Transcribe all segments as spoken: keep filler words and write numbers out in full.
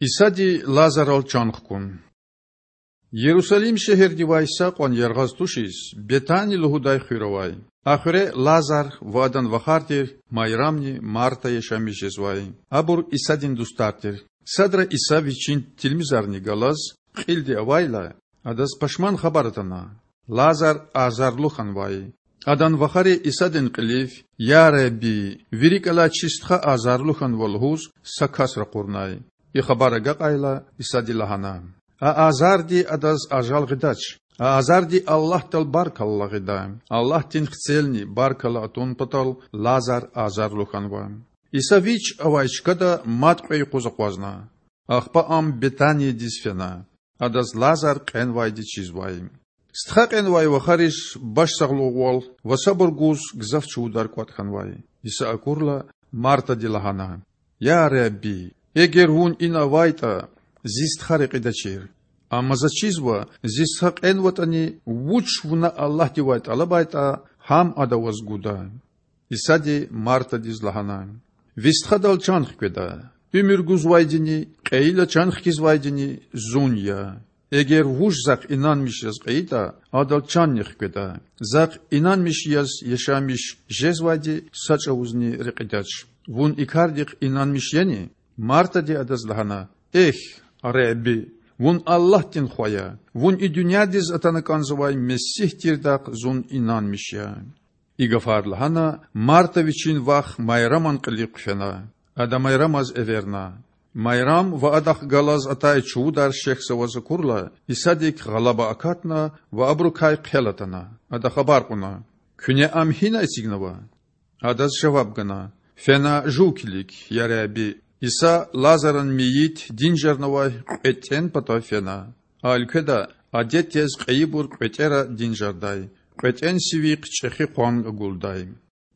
Исади Лазарал чан хкун. Ярусалим шегьердивай са кьван яргъаз тушиз, Бетани лугьудай хуьр авай. А хуьре Лазар ва адан вахар тир Майрамни Марта яшамиш жезвай. Абур Исадин дустар тир. Садра Иса Вичин тилмизарни галаз кьилди авайла, Адаз пашман хабар атана: Лазар азарлу хьанвай. Адан вахари Исадин кьилив: Я Худа, ви рикІ алай чи стха азарлу хьанва,– лугьуз, са кас ракъурнай. И хабар агакьайла, Исади лагьана: А азарди адаз ажал гъидач. А азарди Аллагьдал баркалла гъида. Аллагьдин Хцелни баркалла атун патал Лазар азарлу хьанва. Иса ВичІ авай чкада мад кьве юкъуз акъвазна. Ахпа Ам Бетаниядиз фена. Адаз Лазар кьенвайди чизвай. Стха кьенвай вахариз башсагълугъвал ва сабур гуз гзаф чувудар кІватІ хьанвай. Иса акурла, Мартади лагьана: Я Худа, эгер Вун ина авайтІа, зи стха рекьидачир. Амма за чизва, зи стха кьенватІани, вуч Вуна Аллагьдивай тІалабайтІа, гьам Ада Ваз гуда. Исади Мартадиз лагьана: Ви стхадал чан хкведа. Уьмуьр гузвайдини кьейила чан хкизвайдини Зун я. Эгер вуж Захъ инанмиш яз кьейитІа, адал чанни хкведа. Захъ инанмиш яз яшамиш жезвайди са чІавузни рекьидач. Вун и кардихъ инанмиш яни? Мартади Адаз лагьана: Эхь, Худа, Вун Аллагьдин Хва я. Вун и дуьньядиз атана кІанзавай Месигь тирдахъ зун инанмиш я. И гафар лагьана, Марта вичин вах Майраман кьилихъ хъфена. Ада Майрамаз эверна. Майрам ва адахъ галаз атай чувудар шехьзаваз акурла, Исадик гъалаба акатна ва абурукай хъел атана. Ада хабар кьуна: Куьне Ам гьина эцигнава? Адаз жаваб гана: Фена жув килиг, я Худа. Иса Лазаран мейит динжарнавай кьветІен патав фена. А уьлкведа адет яз кьейибур кьветІера динжардай, кьветІен сивихъ чІехи къван агулдай.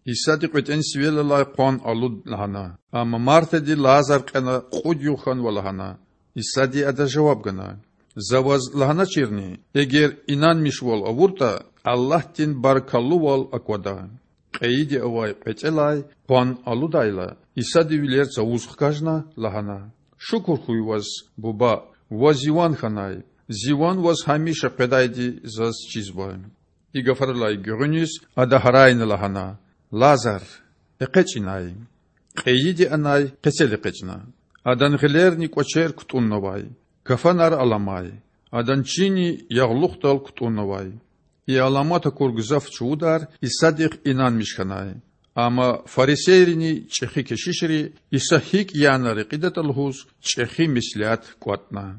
Исади кьветІен сивел алай къван алуд лагьана. Амма Мартади Лазар кьена кьуд югъ хьанва лагьана. Исади адаз жаваб гана: За ваз лагьаначирни, эгер инанмишвал авуртІа, Аллагьдин баркаллувал аквада. Кьейиди авай кьветІелай къван алудайла, Исади вилер цавуз хкажна, лагьана: Шукур хьуй Ваз, Буба, Ваз Зи ван хьанай. Зи ван Ваз гьамиша къведайди заз чизва. И гафарилай гуьгъуьниз Ада гьарайна лагьана: Лазар, экъечІ инай. Кьейиди анай къецел экъечІна. Адан гъилерни кІвачер кутІуннавай, кафанар аламай, адан чинни ягълухдал кутІуннавай. И аламат акур гзаф чувудар Исадихъ инанмиш хьанай. Амма фарисейрини чІехи кешишри Иса гьикІ яна рекьидатІа лугьуз чІехи меслят кІватІна.